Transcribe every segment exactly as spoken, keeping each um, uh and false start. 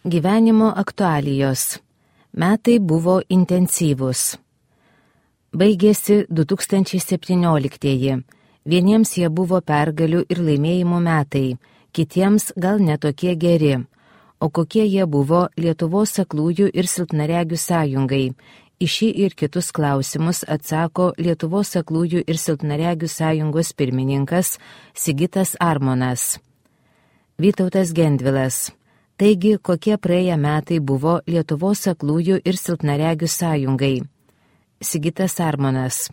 Gyvenimo aktualijos. Metai buvo intensyvūs. Baigėsi du tūkstančiai septynioliktieji. Vieniems jie buvo pergalių ir laimėjimų metai, kitiems gal netokie geri. O kokie jie buvo Lietuvos aklųjų ir silpnaregių sąjungai? Į šį ir kitus klausimus atsako Lietuvos aklųjų ir silpnaregių sąjungos pirmininkas Sigitas Armonas. Vytautas Gendvilas. Taigi, kokie praėję metai buvo Lietuvos aklųjų ir silpnaregių sąjungai? Sigitas Armonas.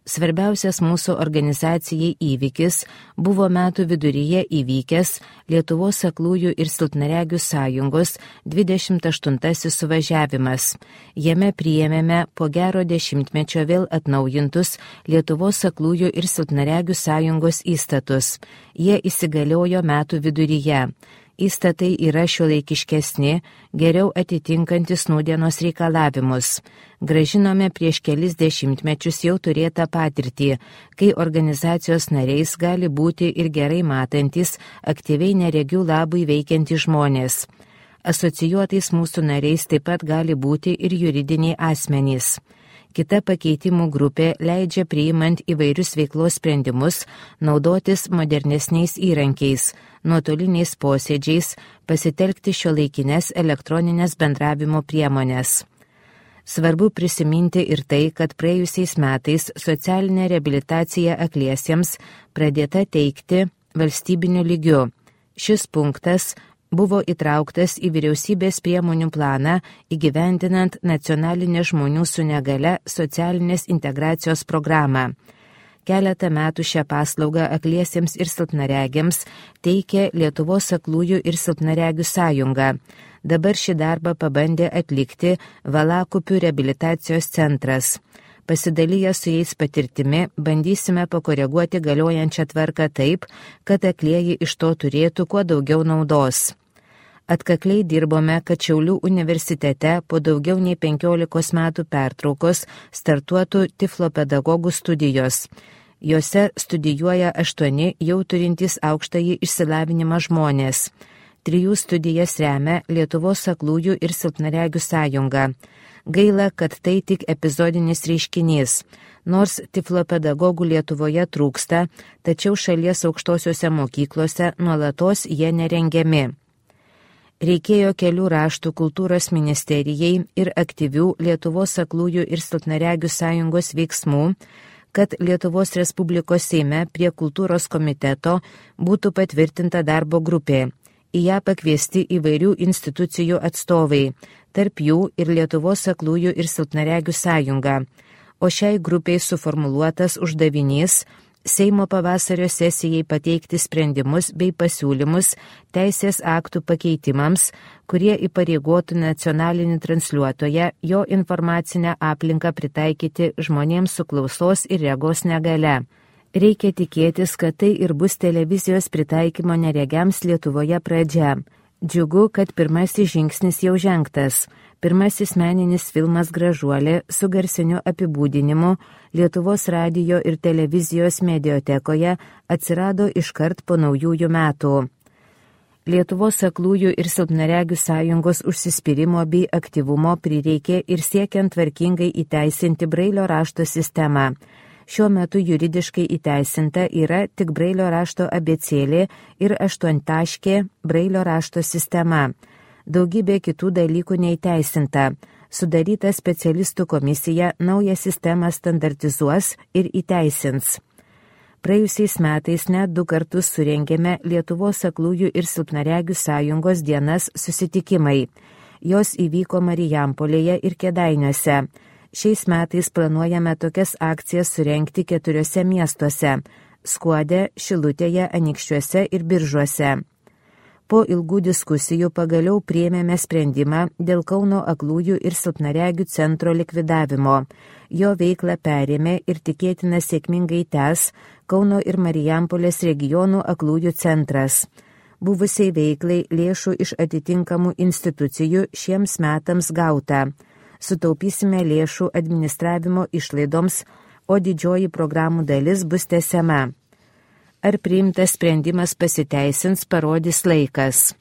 Svarbiausias mūsų organizacijai įvykis buvo metų viduryje įvykęs Lietuvos aklųjų ir silpnaregių sąjungos dvidešimt aštuntasis suvažiavimas. Jame priėmėme po gero dešimtmečio vėl atnaujintus Lietuvos aklųjų ir silpnaregių sąjungos įstatus. Jie įsigaliojo metų viduryje. Įstatai yra šiuolaikiškesni, geriau atitinkantis nūdienos reikalavimus. Gražinome prieš kelis dešimtmečius jau turėtą patirtį, kai organizacijos nariais gali būti ir gerai matantis, aktyviai neregių labui veikiantys žmonės. Asocijuotais mūsų nariais taip pat gali būti ir juridiniai asmenys. Kita pakeitimų grupė leidžia priimant įvairius veiklos sprendimus naudotis modernesniais įrankiais, nuotoliniais posėdžiais, pasitelkti šiuolaikines elektroninės bendravimo priemonės. Svarbu prisiminti ir tai, kad praėjusiais metais socialinė reabilitacija akliesiems pradėta teikti valstybiniu lygiu. Šis punktas buvo įtrauktas į vyriausybės priemonių planą įgyvendinant nacionalinę žmonių su negale socialinės integracijos programą. Keletą metų šią paslaugą akliesiems ir silpnaregiams teikė Lietuvos aklųjų ir silpnaregių sąjunga. Dabar šį darbą pabandė atlikti Valakupių reabilitacijos centras. Pasidalyję su jais patirtimi, bandysime pakoreguoti galiojančią tvarką taip, kad aklieji iš to turėtų kuo daugiau naudos. Atkakliai dirbome, kad Šiaulių universitete po daugiau nei penkiolikos metų pertraukos startuotų tiflopedagogų studijos. Jose studijuoja aštuoni jau turintys aukštąjį išsilavinimą žmonės. Trijų studijas remia Lietuvos aklųjų ir silpnaregių sąjunga. Gaila, kad tai tik epizodinis reiškinys. Nors tiflopedagogų Lietuvoje trūksta, tačiau šalies aukštosiuose mokyklose nuolatos jie nerengiami. Reikėjo kelių raštų kultūros ministerijai ir aktyvių Lietuvos aklųjų ir silpnaregių sąjungos veiksmų, kad Lietuvos Respublikos Seime prie kultūros komiteto būtų patvirtinta darbo grupė. Į ją pakviesti įvairių institucijų atstovai, tarp jų ir Lietuvos aklųjų ir silpnaregių sąjunga. O šiai grupiai suformuluotas uždavinys Seimo pavasario sesijai pateikti sprendimus bei pasiūlymus teisės aktų pakeitimams, kurie įpareigotų nacionalinį transliuotoją jo informacinę aplinką pritaikyti žmonėms su klausos ir regos negale. Reikia tikėtis, kad tai ir bus televizijos pritaikymo neregiams Lietuvoje pradžia. Džiugu, kad pirmasis žingsnis jau žengtas. Pirmasis meninis filmas Gražuolė su garsiniu apibūdinimu Lietuvos radijo ir televizijos mediotekoje atsirado iškart po naujųjų metų. Lietuvos aklųjų ir silpnaregių sąjungos užsispyrimo bei aktyvumo prireikė ir siekiant tvarkingai įteisinti Brailio rašto sistemą. Šiuo metu juridiškai įteisinta yra tik Brailio rašto abėcėlė ir aštuontaškė Brailio rašto sistema. Daugybė kitų dalykų neįteisinta. Sudaryta specialistų komisija naują sistemą standartizuos ir įteisins. Praėjusiais metais net du kartus surengėme Lietuvos aklųjų ir silpnaregių sąjungos dienas susitikimai. Jos įvyko Marijampolėje ir Kėdainiuose. Šiais metais planuojame tokias akcijas surengti keturiose miestuose – Skuode, Šilutėje, Anykščiuose ir Biržuose. Po ilgų diskusijų pagaliau priėmėme sprendimą dėl Kauno aklųjų ir silpnaregių centro likvidavimo. Jo veiklą perėmė ir tikėtina sėkmingai tęs Kauno ir Marijampolės regionų aklųjų centras. Buvusiai veiklai lėšų iš atitinkamų institucijų šiems metams gauta. Sutaupysime lėšų administravimo išlaidoms, o didžioji programų dalis bus tęsiama. Ar priimtas sprendimas pasiteisins, parodys laikas.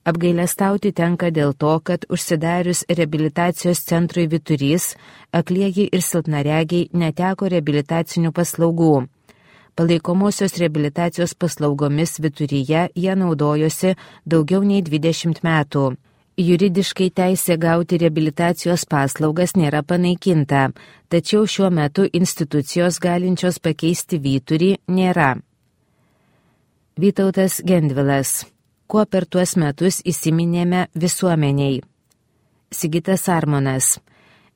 Apgailestauti tenka dėl to, kad užsidarius reabilitacijos centrui Vyturys, aklieji ir silpnaregiai neteko reabilitacinių paslaugų. Palaikomosios reabilitacijos paslaugomis Vyturyje jie naudojosi daugiau nei dvidešimt metų. Juridiškai teisė gauti reabilitacijos paslaugas nėra panaikinta, tačiau šiuo metu institucijos galinčios pakeisti Vyturį nėra. Vytautas Gendvilas. Kuo per tuos metus įsiminėme visuomeniai? Sigitas Armonas.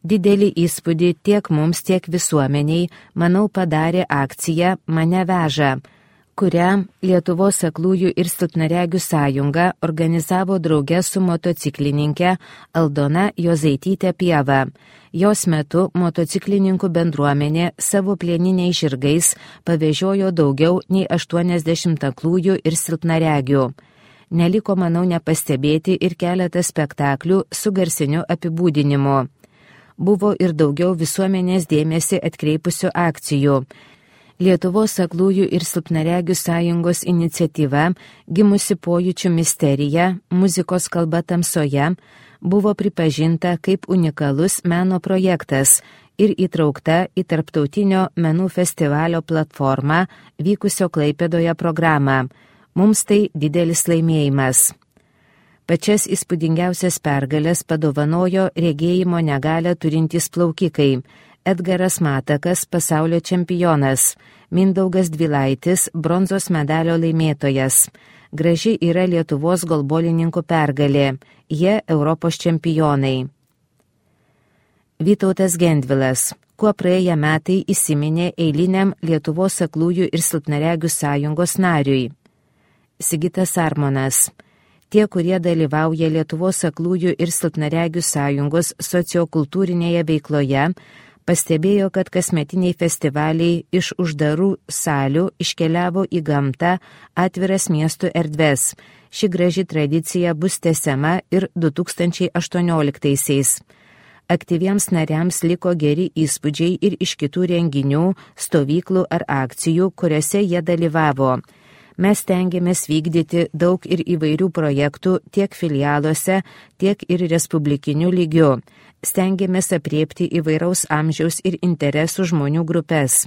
Didelį įspūdį tiek mums, tiek visuomeniai, manau, padarė akcija Mane veža, kurią Lietuvos aklųjų ir silpnaregių sąjunga organizavo drauge su motociklininkė Aldona Jozaitytė Pieva. Jos metu motociklininkų bendruomenė savo plieniniais žirgais pavežiojo daugiau nei aštuoniasdešimt aklųjų ir silpnaregių. Neliko, manau, nepastebėti ir keletą spektaklių su garsiniu apibūdinimu. Buvo ir daugiau visuomenės dėmesį atkreipusių akcijų. Lietuvos aklųjų ir silpnaregių sąjungos iniciatyva, gimusi pojūčių misterija, muzikos kalba tamsoje, buvo pripažinta kaip unikalus meno projektas ir įtraukta į tarptautinio menų festivalio platformą vykusio Klaipėdoje programą. Mums tai didelis laimėjimas. Pačias įspūdingiausias pergalės padovanojo regėjimo negalią turintys plaukikai: Edgaras Matakas, pasaulio čempionas, Mindaugas Dvilaitis, bronzos medalio laimėtojas. Graži yra Lietuvos golbolininkų pergalė, jie Europos čempionai. Vytautas Gendvilas. Kuo praėję metai įsiminė eiliniam Lietuvos aklųjų ir silpnaregių sąjungos nariui? Sigitas Armonas. Tie, kurie dalyvauja Lietuvos aklųjų ir silpnaregių sąjungos sociokultūrinėje veikloje, pastebėjo, kad kasmetiniai festivaliai iš uždarų salių iškeliavo į gamtą, atviras miestų erdves. Ši graži tradicija bus tęsiama ir du tūkstančiai aštuonioliktaisiais. Aktyviems nariams liko geri įspūdžiai ir iš kitų renginių, stovyklų ar akcijų, kuriuose jie dalyvavo. Mes stengiamės vykdyti daug ir įvairių projektų tiek filialuose, tiek ir respublikiniu lygiu. Stengiamės apriepti įvairaus amžiaus ir interesų žmonių grupės.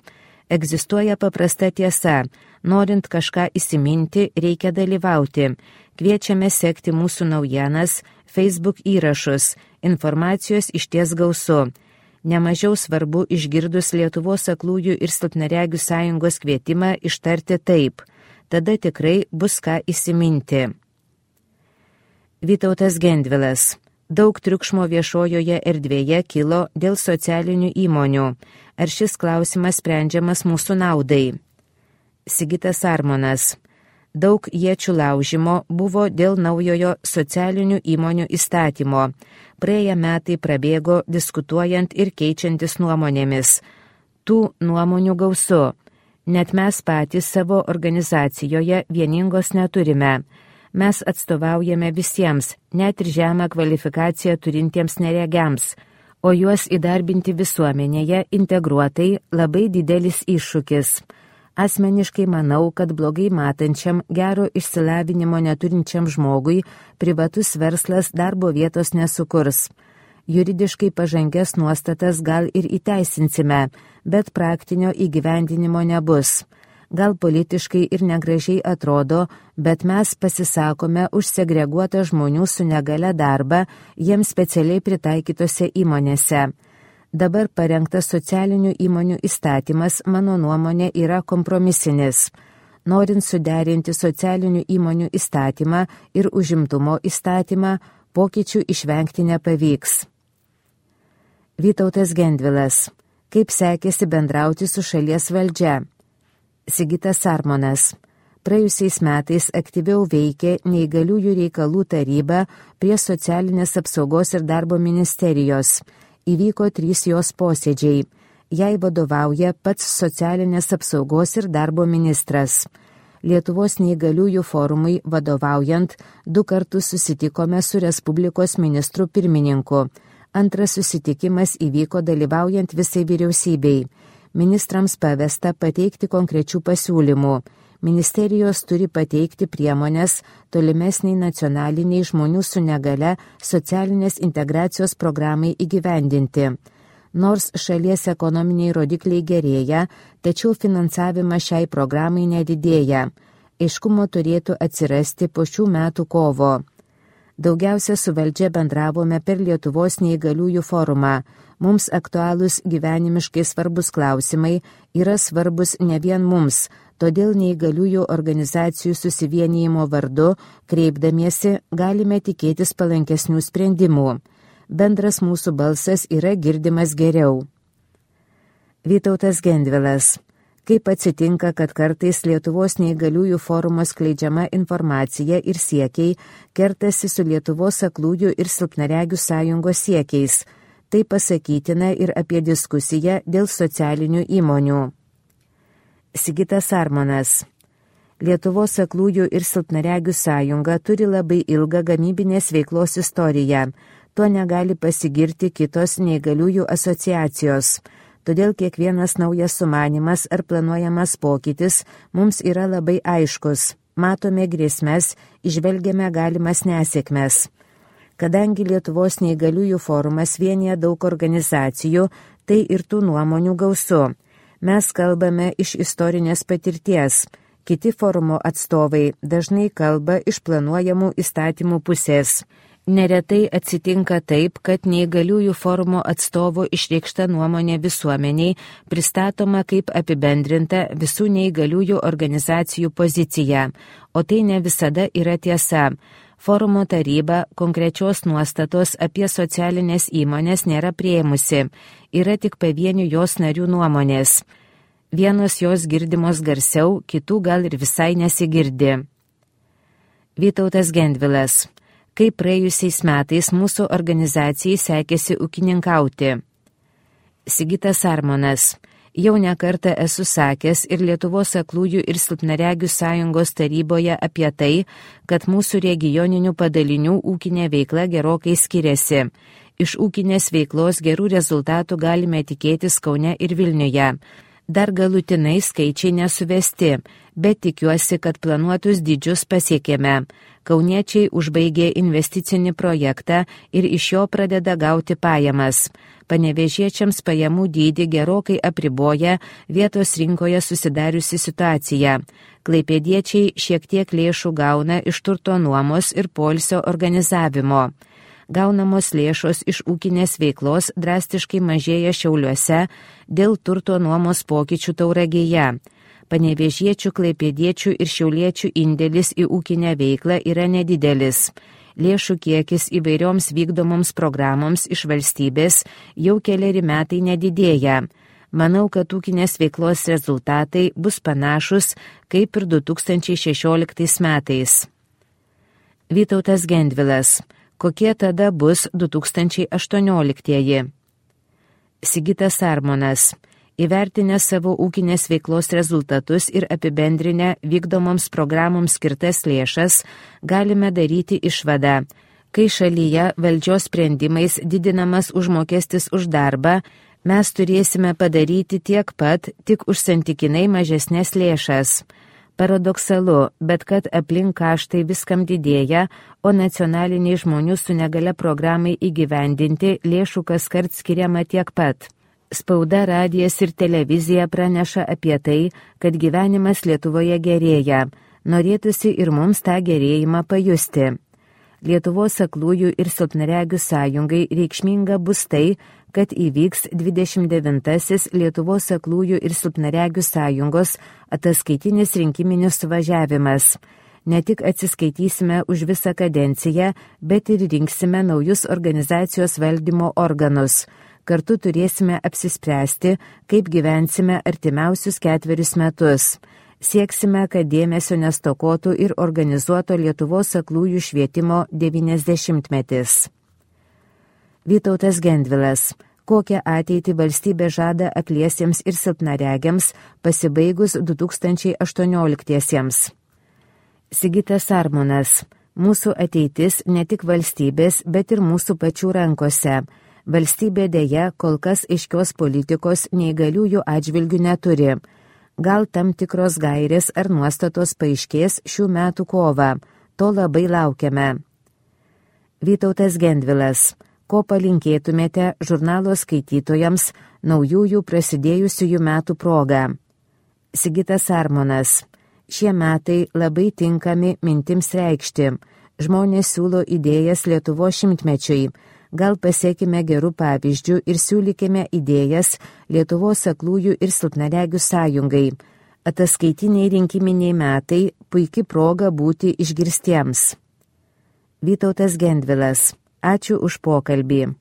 Egzistuoja paprasta tiesa. Norint kažką įsiminti, reikia dalyvauti. Kviečiame sekti mūsų naujienas, Facebook įrašus. Informacijos išties gausu. Nemažiau svarbu išgirdus Lietuvos aklųjų ir silpnaregių sąjungos kvietimą ištarti taip. Tada tikrai bus ką įsiminti. Vytautas Gendvilas. Daug triukšmo viešojoje erdvėje kilo dėl socialinių įmonių. Ar šis klausimas sprendžiamas mūsų naudai? Sigitas Armonas. Daug iečių laužimo buvo dėl naujojo socialinių įmonių įstatymo. Praėję metai prabėgo diskutuojant ir keičiantis nuomonėmis. Tų nuomonių gausu. Net mes patys savo organizacijoje vieningos neturime. Mes atstovaujame visiems, net ir žemą kvalifikaciją turintiems neregiams, o juos įdarbinti visuomenėje integruotai labai didelis iššūkis. Asmeniškai manau, kad blogai matančiam, gero išsilavinimo neturinčiam žmogui privatus verslas darbo vietos nesukurs. Juridiškai pažangias nuostatas gal ir įteisinsime, bet praktinio įgyvendinimo nebus. Gal politiškai ir negražiai atrodo, bet mes pasisakome už segreguotą žmonių su negale darbą jiems specialiai pritaikytose įmonėse. Dabar parengtas socialinių įmonių įstatymas, mano nuomonė, yra kompromisinis. Norint suderinti socialinių įmonių įstatymą ir užimtumo įstatymą, pokyčių išvengti nepavyks. Vytautas Gendvilas. Kaip sekėsi bendrauti su šalies valdžia? Sigitas Armonas. Praėjusiais metais aktyviau veikė Neįgaliųjų reikalų taryba prie socialinės apsaugos ir darbo ministerijos. Įvyko trys jos posėdžiai. Jai vadovauja pats socialinės apsaugos ir darbo ministras. Lietuvos neįgaliųjų forumui vadovaujant du kartus susitikome su Respublikos ministru pirmininku. Antras susitikimas įvyko dalyvaujant visai vyriausybei. Ministrams pavesta pateikti konkrečių pasiūlymų. Ministerijos turi pateikti priemonės tolimesniai nacionaliniai žmonių su negale socialinės integracijos programai įgyvendinti. Nors šalies ekonominiai rodikliai gerėja, tačiau finansavimas šiai programai nedidėja. Aiškumo turėtų atsirasti po šių metų kovo. Daugiausia su valdžia bendravome per Lietuvos neįgaliųjų forumą. Mums aktualūs gyvenimiškai svarbus klausimai yra svarbus ne vien mums, todėl neįgaliųjų organizacijų susivienijimo vardu, kreipdamiesi, galime tikėtis palankesnių sprendimų. Bendras mūsų balsas yra girdimas geriau. Vytautas Gendvilas. Kaip atsitinka, kad kartais Lietuvos neįgaliųjų forumo skleidžiama informacija ir siekiai kertasi su Lietuvos aklųjų ir silpnaregių sąjungos siekiais. Tai pasakytina ir apie diskusiją dėl socialinių įmonių. Sigitas Armonas. Lietuvos aklųjų ir silpnaregių sąjunga turi labai ilgą gamybinės veiklos istoriją. Tuo negali pasigirti kitos neįgaliųjų asociacijos. Todėl kiekvienas naujas sumanimas ar planuojamas pokytis mums yra labai aiškus. Matome grėsmes, išvelgiame galimas nesėkmes. Kadangi Lietuvos neįgaliųjų forumas vienija daug organizacijų, tai ir tų nuomonių gausu. Mes kalbame iš istorinės patirties. Kiti forumo atstovai dažnai kalba iš planuojamų įstatymų pusės. Neretai atsitinka taip, kad neįgaliųjų forumo atstovo išreikšta nuomonė visuomeniai pristatoma kaip apibendrinta visų neįgaliųjų organizacijų pozicija, o tai ne visada yra tiesa. Forumo taryba konkrečios nuostatos apie socialinės įmonės nėra priėmusi, yra tik pavienių jos narių nuomonės. Vienos jos girdimos garsiau, kitų gal ir visai nesigirdi. Vytautas Gendvilas. Kaip praėjusiais metais mūsų organizacijai sekėsi ūkininkauti. Sigitas Armonas. Jau nekartą esu sakęs ir Lietuvos aklųjų ir silpnaregių sąjungos taryboje apie tai, kad mūsų regioninių padalinių ūkinė veikla gerokai skiriasi. Iš ūkinės veiklos gerų rezultatų galime tikėtis Kaune ir Vilniuje. Dar galutinai skaičiai nesuvesti, bet tikiuosi, kad planuotus dydžius pasiekėme. Kauniečiai užbaigė investicinį projektą ir iš jo pradeda gauti pajamas. Panevėžiečiams pajamų dydį gerokai apriboja vietos rinkoje susidariusi situacija. Klaipėdiečiai šiek tiek lėšų gauna iš turto nuomos ir poilsio organizavimo. Gaunamos lėšos iš ūkinės veiklos drastiškai mažėja Šiauliuose dėl turto nuomos pokyčių Tauragėje. Panevėžiečių, klaipėdiečių ir šiauliečių indėlis į ūkinę veiklą yra nedidelis. Lėšų kiekis įvairioms vykdomoms programoms iš valstybės jau keleri metai nedidėja. Manau, kad ūkinės veiklos rezultatai bus panašus kaip ir du tūkstančiai šešioliktais metais. Vytautas Gendvilas. Kokie tada bus du tūkstančiai aštuonioliktieji? Sigitas Armonas. Įvertinę savo ūkinės veiklos rezultatus ir apibendrinę vykdomoms programoms skirtas lėšas, galime daryti išvadą. Kai šalyje valdžios sprendimais didinamas užmokestis už darbą, mes turėsime padaryti tiek pat, tik už santykinai mažesnės lėšas. Paradoksalu, bet kad aplink kaštai viskam didėja, o nacionaliniai žmonių su negale programai įgyvendinti lėšų kaskart skiriama tiek pat. Spauda, radijas ir televizija praneša apie tai, kad gyvenimas Lietuvoje gerėja. Norėtųsi ir mums tą gerėjimą pajusti. Lietuvos aklųjų ir silpnaregių sąjungai reikšminga bus tai, kad įvyks dvidešimt devintasis Lietuvos aklųjų ir silpnaregių sąjungos ataskaitinis rinkiminis suvažiavimas. Ne tik atsiskaitysime už visą kadenciją, bet ir rinksime naujus organizacijos valdymo organus. Kartu turėsime apsispręsti, kaip gyvensime artimiausius ketverius metus. Sieksime, kad dėmesio nestokotų ir organizuoto Lietuvos aklųjų švietimo devyniasdešimtmetis. Vytautas Gendvilas. Kokią ateitį valstybė žada akliesiems ir silpnaregiams pasibaigus du tūkstančiai aštuonioliktiesiems? Sigitas Armonas. Mūsų ateitis ne tik valstybės, bet ir mūsų pačių rankose. Valstybė dėja kol kas aiškios politikos neįgaliųjų atžvilgių neturi. Gal tam tikros gairės ar nuostatos paaiškės šių metų kovą, to labai laukiame. Vytautas Gendvilas, ko palinkėtumėte žurnalo skaitytojams naujųjų prasidėjusiųjų metų proga? Sigitas Armonas, šie metai labai tinkami mintims reikšti. Žmonės siūlo idėjas Lietuvos šimtmečiui. Gal pasiekime gerų pavyzdžių ir siūlykime idėjas Lietuvos aklųjų ir silpnaregių sąjungai. Ataskaitiniai rinkiminiai metai puiki proga būti išgirstiems. Vytautas Gendvilas, ačiū už pokalbį.